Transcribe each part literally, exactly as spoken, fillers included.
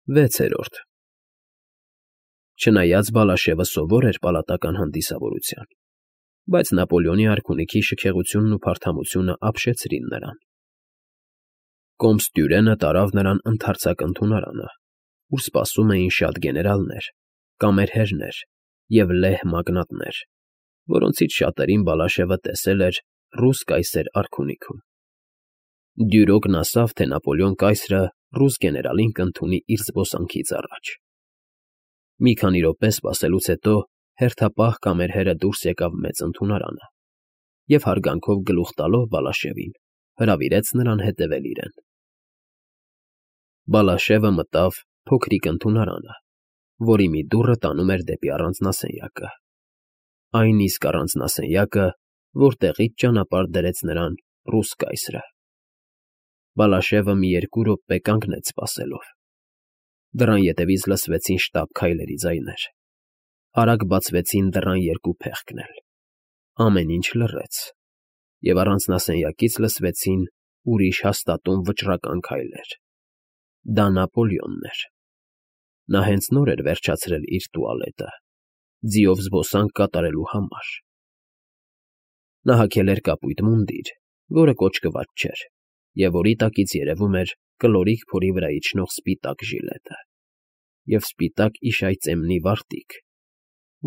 Վեցերորդ Չնայած Բալաշևը սովոր էր պալատական հանդիսավորության, բայց Նապոլեոնի արքունիքի շքեղությունն ու փարթամությունը ապշեցրին նրան։ Կոմս Տյուրենը տարավ նրան ընդարձակ ընդունարանը, ուր սպասում էին շատ գեներալներ, կամերհերներ և լեհ մագնատներ, որոնցից շատերին Բալաշևը տեսել էր ռուս կայսեր արքունիքում։ Դյուրոգն ասավ, թե Նապոլեոն կայսրը ռուս գեներալին կընդունի իր զբոսանքից առաջ։ Մի քանի րոպե սպասելուց հետո հերթապահ կամերհերը դուրս եկավ մեծ ընդունարանը և հարգանքով գլուխ տալով Բալաշևին հրավիրեց նրան հետևել իրեն։ Բալաշևը մտավ փոքրիկ ընդունարանը, որի մի դուռը տանում էր դեպի առանձնասենյակը, այն իսկ առանձնասենյակը, որտեղից ճանապարհ դրեց նրան ռուս կայսրը։ Բալաշևը մի երկու րոպե կանգնեց սպասելով։ Դռան ետևից լսվեցին շտապ քայլերի ձայներ, արագ բացվեցին դռան երկու փեղկն էլ, ամեն ինչ լռեց, և առանձնասենյակից լսվեցին ուրիշ հաստատուն վճռական քայլեր։ Դա Նապոլեոնն էր։ Նա հենց նոր էր վերջացրել իր տուալետը, ձիով զբոսանք կատարելու համար։ Նա հագել էր կապույտ մունդիր, որը կոճկված չէր, և որի տակից երևում էր կլորիկ փորի վրա իջնող սպիտակ ժիլետը և սպիտակ իշայծեմնի վարտիք,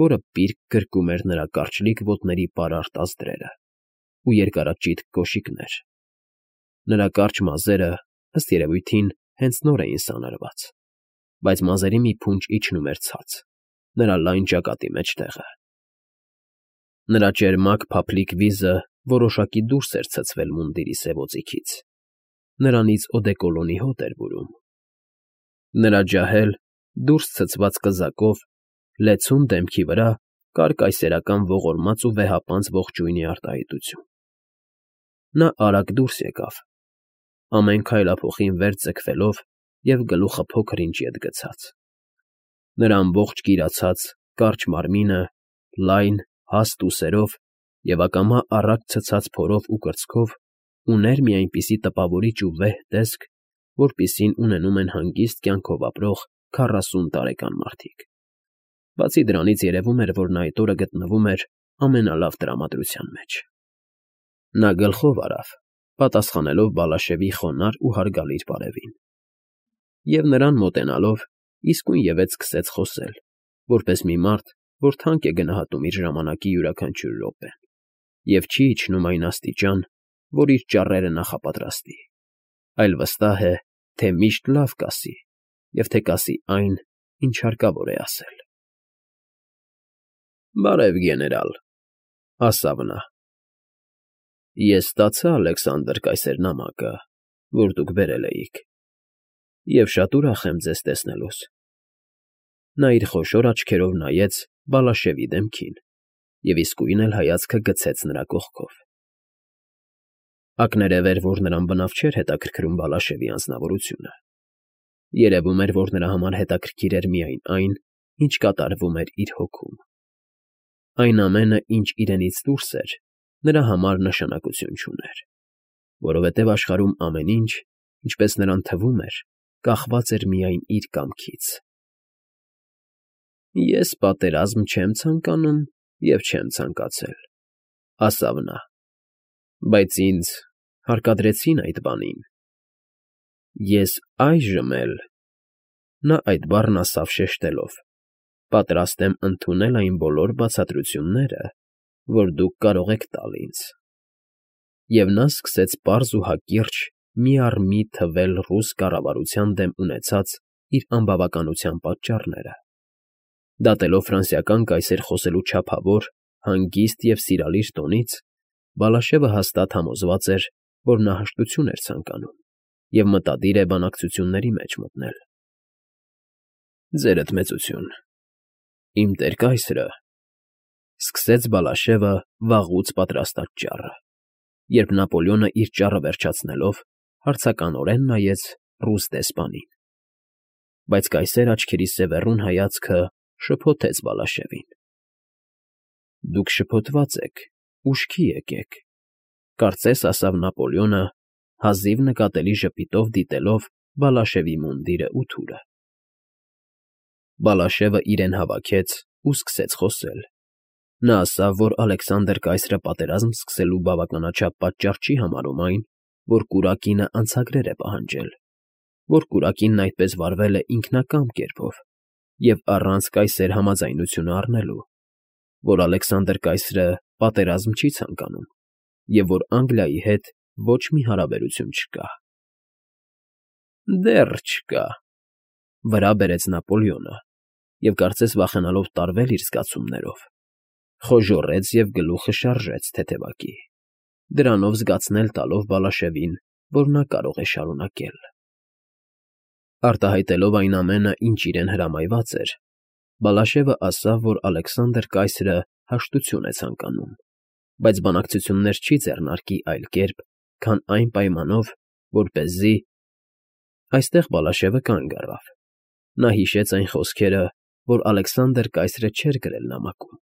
որը պիրկ գրկում էր նրա կարճլիկ ոտների պարարտ ազդրերը ու երկարաճիտ կոշիկներ։ Նրա կարճ մազերը, ըստ երևույթին, հենց նոր էին սանրված, բայց մազերի մի փունջ իջնում էր ցած, նրա լայն ճակատի մեջտեղը։ Նրա ճերմակ փափլիկ վիզը որոշակի դուրս էր ցցվել մունդիրի սևոձիքից, նրանից օդեկոլոնի հոտ էր բուրում։ Նրա ջահել, դուրս ցցված կզակով, լեցուն դեմքի վրա կար կայսերական ողորմած ու վեհապանծ ողջույնի արտահայտություն։ Նա արագ դուրս եկավ, ամեն քայլափոխին վեր ձգվելով և գլուխը փոքր ինչ ետ գցած։ Նրա ամբողջ կիրացած, կարճ մարմինը, լայն, հաստ ուսերով և ակամա առատ ցցած փորով ու կրծքով ուներ մի այնպիսի տպավորիչ ու վեհ տեսք, որպիսին ունենում են հանգիստ կյանքով ապրող քառասուն տարեկան մարդիկ։ Բացի դրանից երևում էր, որ նա այդ օրը գտնվում էր ամենալավ տրամադրության մեջ։ Նա գլխով արավ, պատասխանելով Բալաշևի խոնարհ ու հարգալից բարևին, և նրան մոտենալով իսկույնևեթ սկսեց խոսել, որպես մի մարդ, որ թանկ է գնահատում իր ժամանակի յուրաքանչյուր րոպեն և չի իջնում այն աստիճան, որ իր ճառերը նախապատրաստի, այլ վստահ է, թե միշտ լավ կասի և թե կասի այն, ինչ հարկավոր է ասել։ ֊ Բարև, գեներալ, ֊ ասավ նա։ Ես ստացա Ալեքսանդր կայսեր նամակը, որ դուք բերել էիք, և շատ ուրախ եմ ձեզ տեսնելուս։ Նա իր խոշոր աչքերով նայեց Բալաշևի դեմքին և իսկույն էլ հայացքը գցեց նրա կողքով։ Ակներև էր, որ նրան բնավ չէր հետաքրքրում Բալաշևի անձնավորությունը։ Երևում էր, որ նրա համար հետաքրքիր էր միայն այն, ինչ կատարվում էր իր հոգում։ Այն ամենը, ինչ իրենից դուրս էր, նրա համար նշանակություն չուներ, որովհետև աշխարհում ամեն ինչ, ինչպես նրան թվում էր, կախված էր միայն իր կամքից։ ֊ Ես պատերազմ չեմ ցանկանում և չեմ ցանկացել, ֊ ասավ նա, ֊ բայց ինձ հարկադրեցին այդ բանին։ Ես այժմ էլ (նա այդ բառն ասավ շեշտելով) պատրաստ եմ ընդունել այն բոլոր բացատրությունները, որ դուք կարող եք տալ ինձ։ Եվ նա սկսեց պարզ ու հակիրճ մի առ մի թվել ռուս կառավարության դեմ ունեցած իր անբավականության պատճառները, դատելով ֆրանսիական կայսեր խոսելու չափավոր, հանգիստ և սիրալիր տոնից, Բալաշևը հաստատ համոզված էր, որ նա հաշտություն էր ցանկանում և մտադիր է բանակցությունների մեջ մտնել։ ֊ Ձերդ մեծություն, իմ տեր կայսրը, ֊ սկսեց Բալաշևը վաղուց պատրաստած ճառը, երբ Նապոլեոնը իր ճառը վերջացնելով հարցականորեն նայեց ռուս դեսպանին։ Բայց կայսեր աչքերի սևեռուն հայացքը շփոթեց Բալաշևին։ ֊ Դուք շփոթված եք, ուշքի եկեք, ֊ կարծես ասավ Նապոլեոնը, հազիվ նկատելի ժպիտով դիտելով Բալաշևի մունդիրն ու թուրը։ Բալաշևը իրեն հավաքեց ու սկսեց խոսել։ Նա ասավ, որ Ալեքսանդր կայսրը պատերազմ սկսելու բավականաչափ պատճառ չի համարում այն, որ կուրակինը անցագրեր է պահանջել, որ կուրակինն այդպես վարվել է ինքնակամ կերպով և առանց կայսեր համաձայնությունը առնելու, որ Ալեքսանդր կայսրը պատերազմ չի ցանկանում և որ Անգլիայի հետ ոչ մի հարաբերություն չկա։ Դեռ չկա, վրա բերեց Նապոլեոնը և, կարծես վախենալով տարվել իր զգացումներով, խոժոռեց և գլուխը շարժեց թեթևակի, դրանով զգացնել տալով Բալաշևին, որ նա կարող է շարունակել։ Արտահայտելով այն ամենը, ինչ իրեն հրամայված էր, Բալաշևը ասավ, որ Ալեքսանդր կայսրը հաշտություն է ցանկանում, բայց բանակցություններ չի ձեռնարկի այլ կերպ, քան այն պայմանով, որպեսզի… Այստեղ Բալաշևը կանգ առավ. նա հիշեց այն խոսքերը, որ Ալեքսանդր կայսրը չէր գրել նամակում,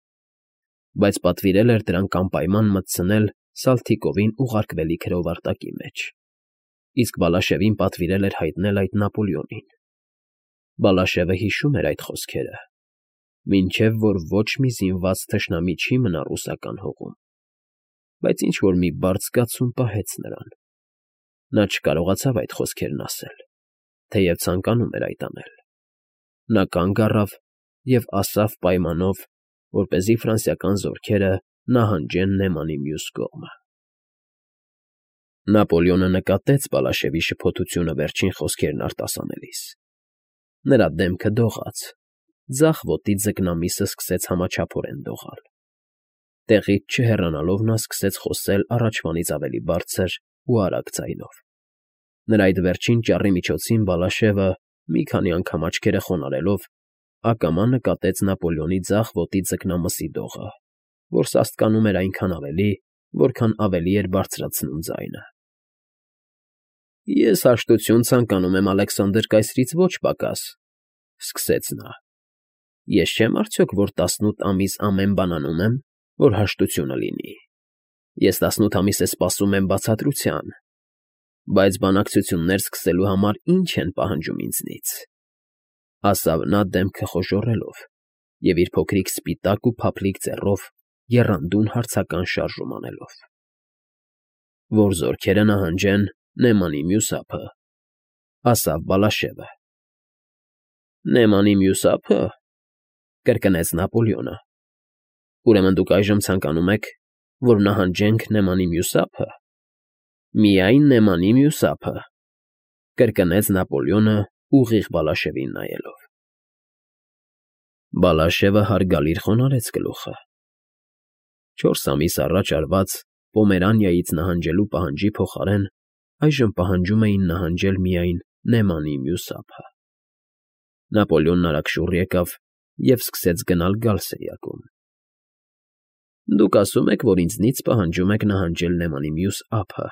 բայց պատվիրել էր դրանք անպայման մտցնել Սալթիկովին ուղարկվելիք հրովարտակի մեջ, իսկ Բալաշևին պատվիրել էր հայտնել այդ Նապոլեոնին։ Բալաշևը հիշում էր այդ խոսքերը, մինչև որ ոչ մի զինված թշնամի չի մնա ռուսական հողում, բայց ինչ֊որ մի բարդ զգացում պահեց նրան. նա չկարողացավ այդ խոսքերն ասել, թեև ցանկանում էր այդ անել։ Նա կանգ առավ և ասավ պայմանով, որպեսզի ֆրանսիական զորքերը նահանջեն Նեմանի մյուս կողմը։ Նապոլեոնը նկատեց Բալաշևի շփոթությունը վերջին խոսքերն արտասանելիս։ Նրա դեմքը դողաց, ձախ ոտի ձկնամիսը սկսեց համաչափորեն դողալ։ Տեղից չհեռանալով նա սկսեց խոսել առաջվանից ավելի բարձր ու արագ ձայնով։ Նրա այդ վերջին ճառի միջոցին Բալաշևը, մի քանի անգամ աչքերը խոնարհելով, ակամա նկատեց Նապոլեոնի ձախ ոտի ձկնամսի դողը, որ սաստկանում էր այնքան ավելի, որքան ավելի էր բարձրացնում ձայնը։ «Ես հաշտություն ցանկանում եմ Ալեքսանդր կայսրից ոչ պակաս,֊ սկսեց նա,֊ ես չեմ արդյոք, որ տասնութ ամիս ամեն բան անում եմ, որ հաշտությունը լինի, ես տասնութ ամիս է սպասում եմ բացատրության, բայց բանակցություններ սկսելու համար ի՞նչ են պահանջում ինձնից,֊ ասավ նա դեմքը խոժոռելով և իր փոքրիկ սպիտակ ու փափլիկ ձեռով եռանդուն հարցական շարժում անելով,֊ որ զորքերը նահանջեն Նեմանի մյուս ափը,֊ ասավ Բալաշևը։ Նեմանի մյուս ափը,֊ կրկնեց Նապոլեոնը։ Ուրեմն դուք այժմ ցանկանում եք, որ նահանջենք Նեմանի մյուս ափը։ Միայն Նեմանի մյուս ափը,֊ կրկնեց Նապոլեոնը ուղիղ Բալաշևին նայելով։ Բալաշևը հարգալից խոնարհեց գլուխը։ Չորս ամիս առաջ արված Պոմերանիայից նահանջելու պահանջի փոխարեն այժմ պահանջում էին նահանջել միայն Նեմանի մյուս ափը։ Նապոլեոնն արագ շուռ եկավ և սկսեց գնալ֊գալ սենյակում։ Դուք ասում եք, որ ինձնից պահանջում եք նահանջել Նեմանի մյուս ափը,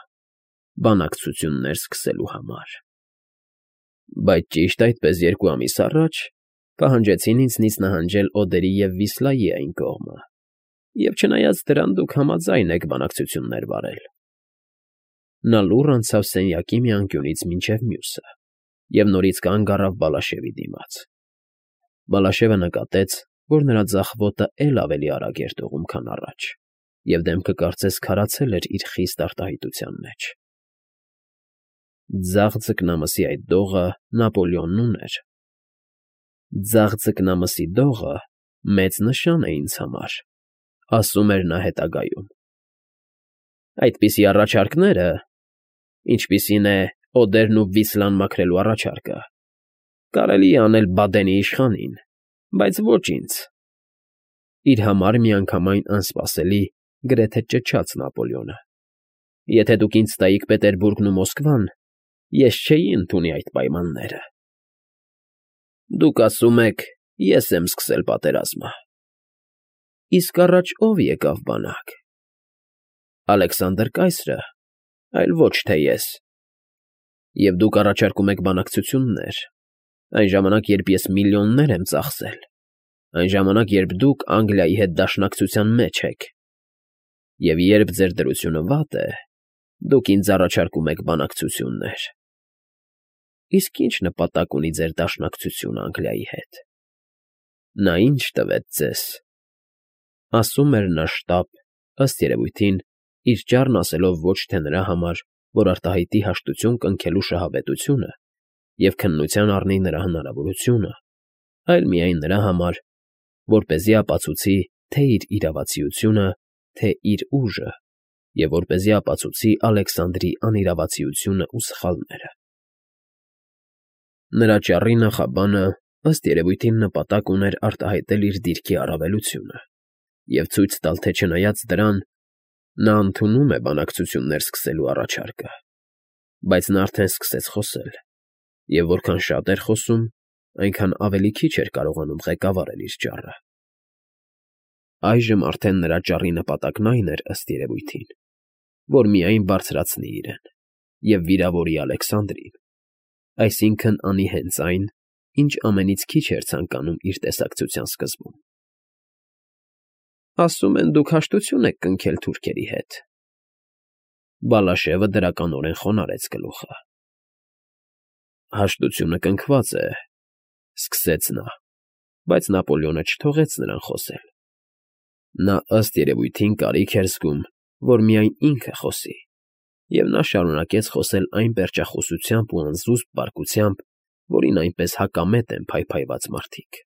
բանակցություններ սկսելու համար։ Բայց ճիշտ այդպես երկու ամիս առաջ պահանջեցին ինձնից նահանջել Օդերի և Վիսլայի այն կողմը, և չնայած դրան դուք համաձայն եք բանակցություններ վարել։ Նա լուռ անցավ սենյակի մի անկյունից մինչև մյուսը և նորից կանգ առավ Բալաշևի դիմաց։ Բալաշևը նկատեց, որ նրա ձախ ոտը էլ ավելի արագ էր դողում, քան առաջ, և դեմքը կարծես քարացել էր իր խիստ արտահայտության մեջ։ Ձախ ձկնամսի այդ դողը Նապոլեոնն ուներ։ Ձախ ձկնամսի դողը մեծ նշան է ինձ համար,֊ ասում էր նա հետագայում։ Այդպիսի առաջարկները, ինչպիսին է Օդերն ու Վիսլան մաքրելու առաջարկը, կարելի է անել Բադենի իշխանին, բայց ոչ ինձ։ Իր համար միանգամայն անսպասելի, գրեթե ճչաց Նապոլեոնը։ Եթե դուք ինձ տայիք Պետերբուրգն ու Մոսկվան, ես չէի ընդունի այդ պայմանները։ Դուք ասում եք, ես եմ սկսել պատերազմը։ Իսկ առաջ ո՞վ եկավ բանակ։ Ալեքսանդր կայսրը, այլ ոչ թե ես։ Եվ դուք առաջարկում եք բանակցություններ, այն ժամանակ, երբ ես միլիոններ եմ ծախսել, այն ժամանակ, երբ դուք Անգլիայի հետ դաշնակցության մեջ եք։ Եվ երբ ձեր դրությունը վատ է, դուք ինձ առաջարկում եք բանակցություններ։ Իսկ ի՞նչ նպատակ ունի ձեր դաշնակցությունը Անգլիայի հետ։ Նա ի՞նչ տվեց ձեզ,֊ ասում էր նա շտապ, ըստ երևույթին, իր ճառն ասելով ոչ թե նրա համար, որ արտահայտի հաշտություն կնքելու շահավետությունը և քննության առնի նրա հնարավորությունը, այլ միայն նրա համար, որպեսզի ապացուցի թե՛ իր իրավացիությունը, թե՛ իր ուժը և որպեսզի ապացուցի Ալեքսանդրի անիրավացիությունն ու սխալները։ Նրա ճառի նախաբանը, ըստ երևույթին, նպատակ ուներ արտահայտել իր դիրքի առավելությունը և ցույց տալ, թե չնայած դրան, նա ընդունում է բանակցություններ սկսելու առաջարկը, բայց նա արդեն սկսեց խոսել, և որքան շատ էր խոսում, այնքան ավելի քիչ էր կարողանում ղեկավարել իր ճառը։ Այժմ արդեն նրա ճառի նպատակն այն էր, ըստ երևույթին, որ միայն բարձրացնի իրեն և վիրավորի Ալեքսանդրին, այսինքն՝ անի հենց այն, ինչ ամենից քիչ էր ցանկանում իր տեսակցության սկզբում։ ֊ Ասում են, դուք հաշտություն եք կնքել թուրքերի հետ,֊ Բալաշևը դրականորեն խոնարհեց գլուխը։ ֊ Հաշտությունը կնքված է,֊ սկսեց նա, բայց Նապոլեոնը չթողեց նրան խոսել. նա, ըստ երևույթին, կարիք էր զգում, որ միայն ինքը խոսի, և նա շարունակեց խոսել այն պերճախոսությամբ ու անզուսպ պարկությամբ, որին այնպես հակամետ են փայփայված մարդիկ։ ֊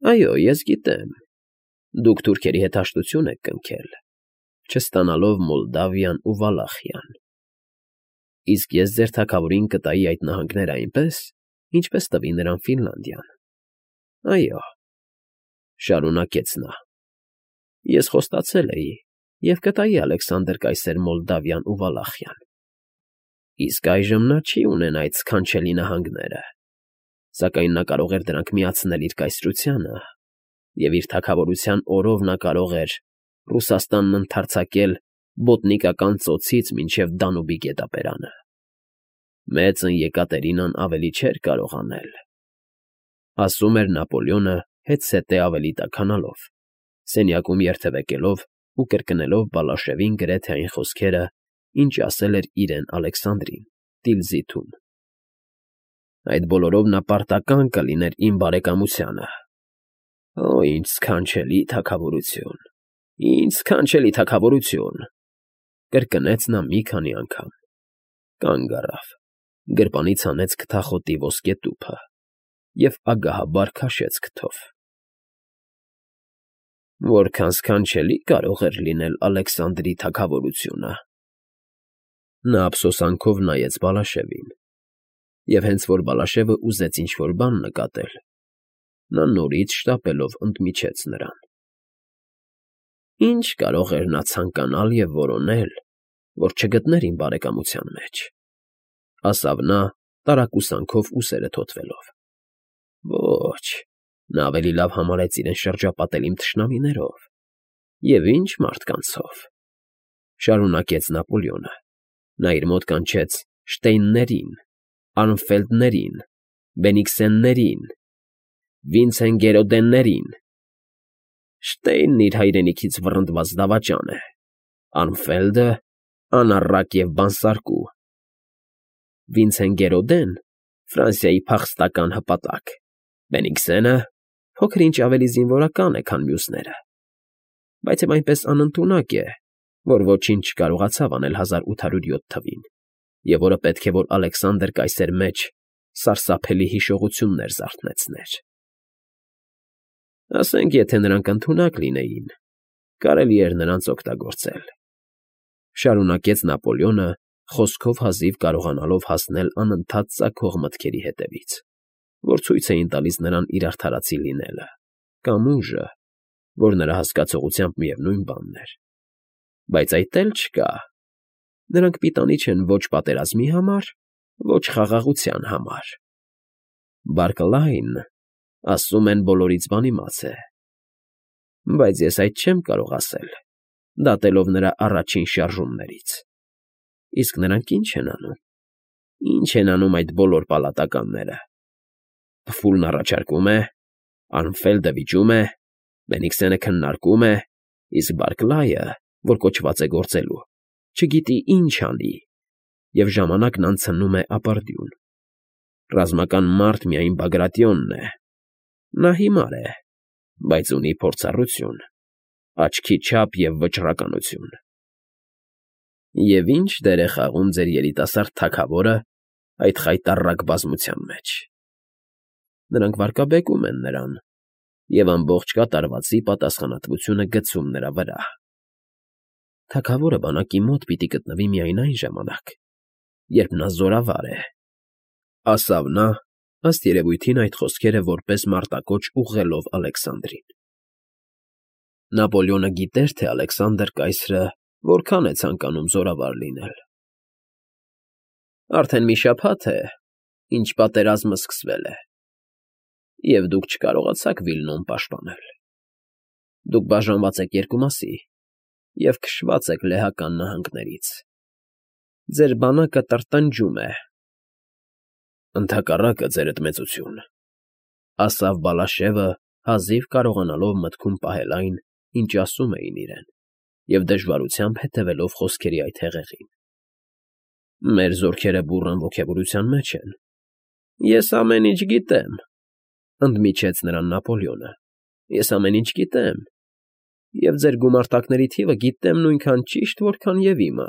Այո, ես գիտեմ, դուք թուրքերի հետ հաշտություն եք կնքել, չստանալով Մոլդավիան ու Վալախիան, իսկ ես ձեր թագավորին կտայի այդ նահանգները այնպես, ինչպես տվի նրան Ֆինլանդիան։ Այո,֊ շարունակեց նա,֊ ես խոստացել էի և կտայի Ալեքսանդր կայսեր Մոլդավիան ու Վալախիան, իսկ այժմ նա չի ունենա այդ սքանչելի նահանգները, սակայն նա կարող էր դրանք միացնել իր կայսրությանը, և իր թագավորության օրով նա կարող էր Ռուսաստանն ընդարձակել Բոտնիկական ծոցից մինչև Դանուբի գետապերանը։ Մեծն Եկատերինան ավելի չէր կարող անել,֊ ասում էր Նապոլեոնը հետզհետե ավելի տաքանալով, սենյակում երթևեկելով ու կրկնելով Բալաշևին գրեթե այն խոսքերը, ինչ ասել էր իրեն Ալեքսանդրին Տիլզիթում։ «Այդ բոլորով նա պարտական կլիներ իմ բարեկամությանը։ Օ՜, ինչ սքանչելի թագավորություն, ինչ սքանչելի թագավորություն…֊ կրկնեց նա մի քանի անգամ, կանգ առավ, գրպանից հանեց քթախոտի ոսկե տուփը և ագահաբար քաշեց քթով։ «Որքան սքանչելի կարող էր լինել Ալեքսանդրի թագավորությունը…»… Նա ափսոսանքով նայեց Բալաշևին, և հենց որ Բալաշևը ուզեց ինչ֊որ բան նկատել, նա նորից շտապելով ընդմիջեց նրան։ «Ի՞նչ կարող էր նա ցանկանալ և որոնել, որ չգտներ իմ բարեկամության մեջ,֊ ասավ նա, տարակուսանքով ուսերը թոթվելով։ Ոչ, նա ավելի լավ համարեց իրեն շրջապատել իմ թշնամիներով, և ի՜նչ մարդկանցով,֊ շարունակեց Նապոլեոնը. նա իր մոտ կանչեց Շտեյններին, Արմֆելդներին, Բենիքսեններին, Վինցենգերոդեններին… Շտեյնն իր հայրենիքից վռնդված դավաճան է, Արմֆելդը՝ անառակ և բանսարկու, Վինցենգերոդեն՝ Ֆրանսիայի փախստական հպատակ, Բենիքսենը փոքր֊ինչ ավելի զինվորական է, քան մյուսները, բայց և այնպես անընդունակ է, որ ոչինչ չկարողացավ անել հազար ութ հարյուր յոթ թվին, և որը պետք է որ Ալեքսանդր կայսեր մեջ սարսափելի հիշողություններ զարթնեցներ… Ասենք, եթե նրանք ընդունակ լինեին, կարելի էր նրանց օգտագործել,֊ շարունակեց Նապոլեոնը, խոսքով հազիվ կարողանալով հասնել անընդհատ ծագող մտքերի հետևից, որ ցույց էին տալիս նրան իր արդարացի լինելը կամ ուժը, որ նրա հասկացողությամբ միևնույն բանն էր։ Բայց այդ էլ չկա. նրանք պիտանի չեն ոչ պատերազմի համար, ոչ խաղաղության համար։ Բարկլայնը, ասում են, բոլորից բանիմաց է, բայց ես այդ չեմ կարող ասել, դատելով նրա առաջին շարժումներից։ Իսկ նրանք ի՞նչ են անում, ի՞նչ են անում այդ բոլոր պալատականները… Փֆուլն առաջարկում է, Արմֆելդը վիճում է, Բենիքսենը քննարկում է, իսկ Բարկլայը, որ կոչված է գործելու, չգիտի ինչ անի և ժամանակն անցնում է ապարդյուն… Ռազմական մարդ միայն Բագրատիոնն է, Նա հիմար է, բայց ունի փորձառություն, աչքի չափ և վճռականություն։ Եվ ի՞նչ դեր է խաղում ձեր երիտասարդ թագավորը այդ խայտառակ բազմության մեջ։ Նրանք վարկաբեկում են նրան և ամբողջ կատարվածի պատասխանատվությունը գցում նրա վրա։ Թագավորը բանակի մոտ պիտի գտնվի միայն այն ժամանակ, երբ նա զորավար է, ֊ ասավ նա, ըստ երևույթին այդ խոսքերը որպես մարտակոչ ուղղելով Ալեքսանդրին։ Նապոլեոնը գիտեր, թե Ալեքսանդր կայսրը որքան է ցանկանում զորավար լինել։ Արդեն մի շաբաթ է, ինչ պատերազմը սկսվել է, և դուք չկարողացաք Վիլնոն պաշտպանել։ Դուք բաժանված եք երկու մասի և քշված եք լեհական նահանգներից։ Ձեր բանակը տրտնջում է։ Ընդհակառակը, ձերդ մեծություն, ֊ ասավ Բալաշևը, հազիվ կարողանալով մտքում պահել այն, ինչ ասում էին իրեն, և դժվարությամբ հետևելով խոսքերի այդ հեղեղին։ Մեր զորքերը բուռն ոգևորության մեջ են։ Ես ամեն ինչ գիտեմ, ֊ ընդմիջեց նրան Նապոլեոնը։ Ես ամեն ինչ գիտեմ, և ձեր գումարտակների թիվը գիտեմ նույնքան ճիշտ, որքան և իմը։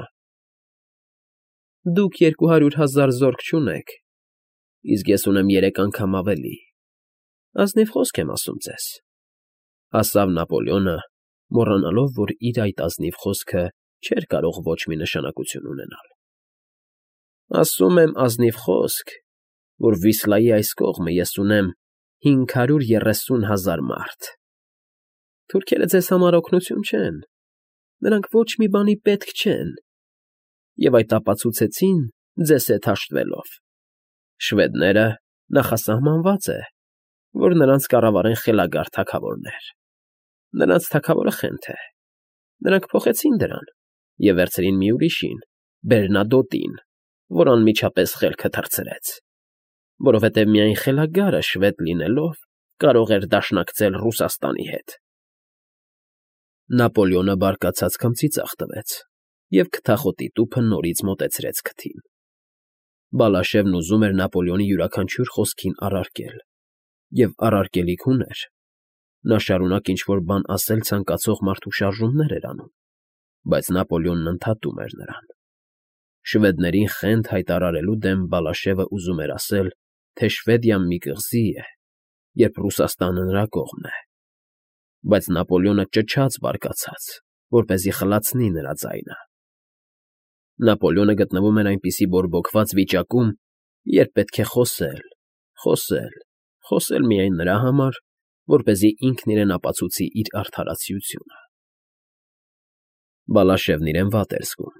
Դուք երկու հարյուր հազար զորք չունեք, իսկ ես ունեմ երեք անգամ ավելի։ Ազնիվ խոսք եմ ասում ձեզ, ֊ ասավ Նապոլեոնը, մոռանալով, որ իր այդ ազնիվ խոսքը չէր կարող ոչ մի նշանակություն ունենալ։ Ասում եմ ազնիվ խոսք, որ Վիսլայի այս կողմը ես ունեմ հինգ հարյուր երեսուն հազար մարդ։ Թուրքերը ձեզ համար օգնություն չեն, նրանք ոչ մի բանի պետք չեն, և այդ ապացուցեցին ձեզ հետ հաշտվելով։ Շվեդները նախասահմանված է, որ նրանց կառավարեն խելագար թագավորներ։ Նրանց թագավորը խենթ է։ Նրանք փոխեցին դրան և վերցրին մի ուրիշին՝ Բերնադոտին, որ անմիջապես խելքը թռցրեց, որովհետև միայն խելագարը շվեդ լինելով կարող էր դաշնակցել Ռուսաստանի հետ։ Նապոլեոնը բարկացած քմծի ծախ տվեց և քթախոտի տուփը նորից մոտեցրեց քթին։ Բալաշևն ուզում էր Նապոլեոնի յուրաքանչյուր խոսքին առարկել, և առարկելիք ուներ։ Նա շարունակ ինչ֊որ բան ասել ցանկացող մարդու շարժումներ էր անում, բայց Նապոլեոնն ընդհատում էր նրան։ Շվեդներին խենթ հայտարարելու դեմ Բալաշևը ուզում էր ասել, թե Շվեդիան մի կղզի է, երբ Ռուսաստանը նրա կողմն է, բայց Նապոլեոնը ճչաց բարկացած, որպեսզի խլացնի նրա ձայնը։ Նապոլեոնը գտնվում էր այնպիսի բորբոքված վիճակում, երբ պետք է խոսել, խոսել, խոսել միայն նրա համար, որպեսզի ինքն իրեն ապացուցի իր արդարացիությունը։ Բալաշևն իրեն վատ էր զգում։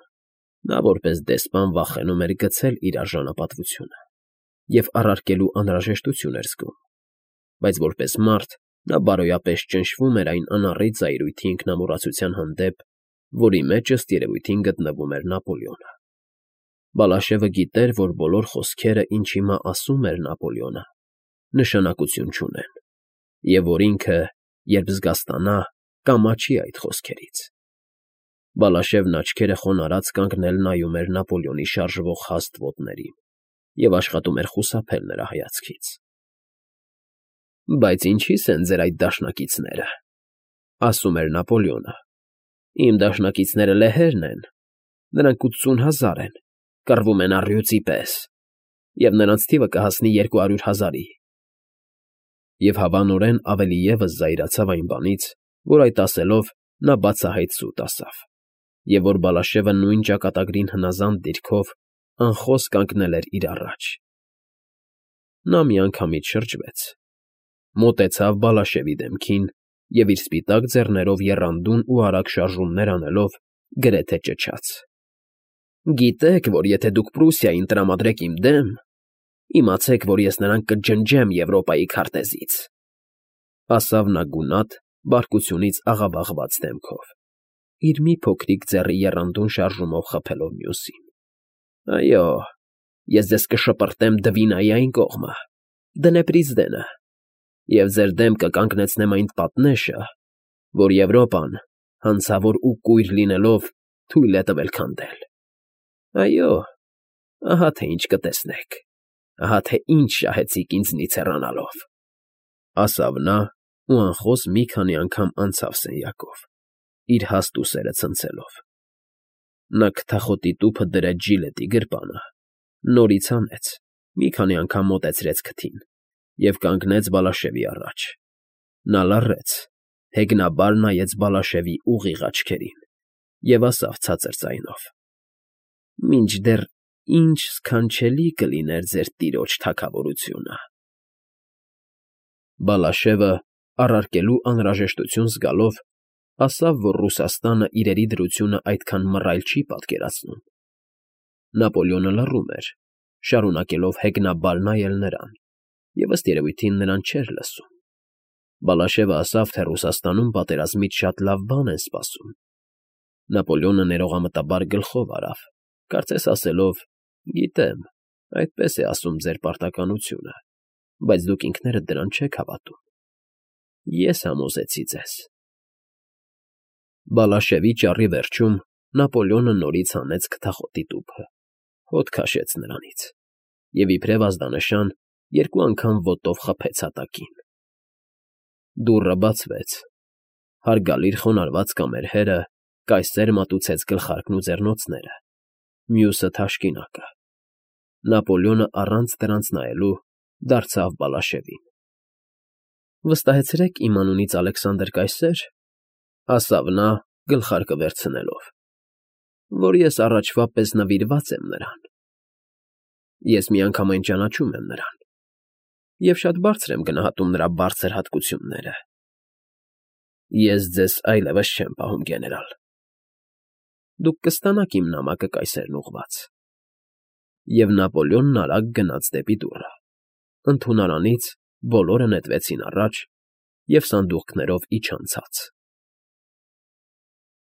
Նա որպես դեսպան վախենում էր գցել իր արժանապատվությունը և առարկելու անհրաժեշտություն էր զգում, բայց որպես մարդ նա բարոյապես ճնշվում էր այն անառիկ զայրույթի ինքնամոռացության հանդեպ, որի մեջ ըստ երևույթին գտնվում էր Նապոլեոնը։ Բալաշևը գիտեր, որ բոլոր խոսքերը, ինչ հիմա ասում էր Նապոլեոնը, նշանակություն չունեն, և որ ինքը, երբ զգաստանա, կամաչի այդ խոսքերից։ Բալաշևն աչքերը խոնարհած կանգնել նայում էր Նապոլեոնի շարժվող հաստ ոտներին և աշխատում էր խուսափել նրա հայացքից։ Բայց ինչի՞ս են ձեր այդ դաշնակիցները, ֊ ասում էր Նապոլեոնը։ Իմ դաշնակիցները լեհերն են, նրանք ութսուն հազար են, կռվում են առյուծի պես, և նրանց թիվը կհասնի երկու հարյուր հազարի։ Եվ հավանորեն ավելի ևս զայրացավ այն բանից, որ այդ ասելով նա բացահայտ սուտ ասավ, և որ Բալաշևը նույն ճակատագրին հնազանդ դիրքով անխոս կանգնել էր իր առաջ։ Նա միանգամից շրջվեց, մոտեցավ Բալաշևի դեմքին և իր սպիտակ ձեռներով եռանդուն ու արագ շարժումներ անելով գրեթե ճչաց. «Գիտեք, որ եթե դուք Պրուսիային տրամադրեք իմ դեմ, իմացեք, որ ես նրան կջնջեմ Եվրոպայի քարտեզից», ֊ ասավ նա գունատ, բարկությունից աղավաղված դեմքով, իր մի փոքրիկ ձեռի եռանդուն շարժումով խփելով մյուսին։ ֊ Այո, ես ձեզ կշպրտեմ Դվինայի այն կողմը, Դնեպրիձդենը, և ձեր դեմ կկանգնեցնեմ այն պատնեշը, որ Եվրոպան, հանցավոր ու կույր լինելով, թույլ է տվել քանդել։ Այո, ահա թե ինչ կտեսնեք, ահա թե ինչ շահեցիք ինձնից հեռանալով։ Ասավ նա ու անխոս մի քանի անգամ անցավ սենյակով, իր հաստ ուսերը ցնցելով։ Նա քթախոտի տուփը դրեց ժիլետի գրպանը, նորից հանեց, մի քանի անգամ մոտեցրեց քթին և կանգնեց Բալաշևի առաջ։ Նա լռեց, հեգնաբար նայեց Բալաշևի ուղիղ աչքերին և ասավ ցածր ձայնով. ֊ Մինչդեռ ինչ սքանչելի կլիներ ձեր տիրոջ թագավորությունը… Բալաշևը, առարկելու անհրաժեշտություն զգալով, ասավ, որ Ռուսաստանը իրերի դրությունն այդքան մռայլ չի պատկերացնում։ Նապոլեոնը լռում էր, շարունակելով հեգնաբար նայել նրան, և, ըստ երևույթին, նրան չէր լսում։ Բալաշևը ասավ, թե Ռուսաստանում պատերազմից շատ լավ բան են սպասում։ Նապոլեոնը ներողամտաբար գլխով արավ, կարծես ասելով. «Գիտեմ, այդպես է ասում ձեր պարտականությունը, բայց դուք ինքներդ դրան չեք հավատում։ Ես համոզեցի ձեզ»։ Բալաշևի ճառի վերջում Նապոլեոնը նորից հանեց քթախոտի տուփը, հոտ քաշեց նրանից և, իբրև ազդանշան, երկու անգամ ոտով խփեց հատակին։ Դուռը բացվեց։ Հարգալից խոնարհված կամերհերը կայսեր մատուցեց գլխարկն ու ձեռնոցները, մյուսը՝ թաշկինակը։ Նապոլեոնը առանց դրանց նայելու դարձավ Բալաշևին. ֊ Վստահեցրեք իմ անունից, Ալեքսանդր կայսեր, ֊ ասավ նա, գլխարկը վերցնելով, ֊ որ ես առաջվա պես նվիրված եմ նրան։ Ես միանգամայն ճանաչում եմ նրան և շատ բարձր եմ գնահատում նրա բարձր հատկությունները։ Ես ձեզ այլևս չեմ պահում, գեներալ, դուք կստանաք իմ նամակը կայսերն ուղղված։ Եվ Նապոլեոնն արագ գնաց դեպի դուռը։ Ընդունարանից բոլորը նետվեցին առաջ և սանդուղքներով իջան ցած։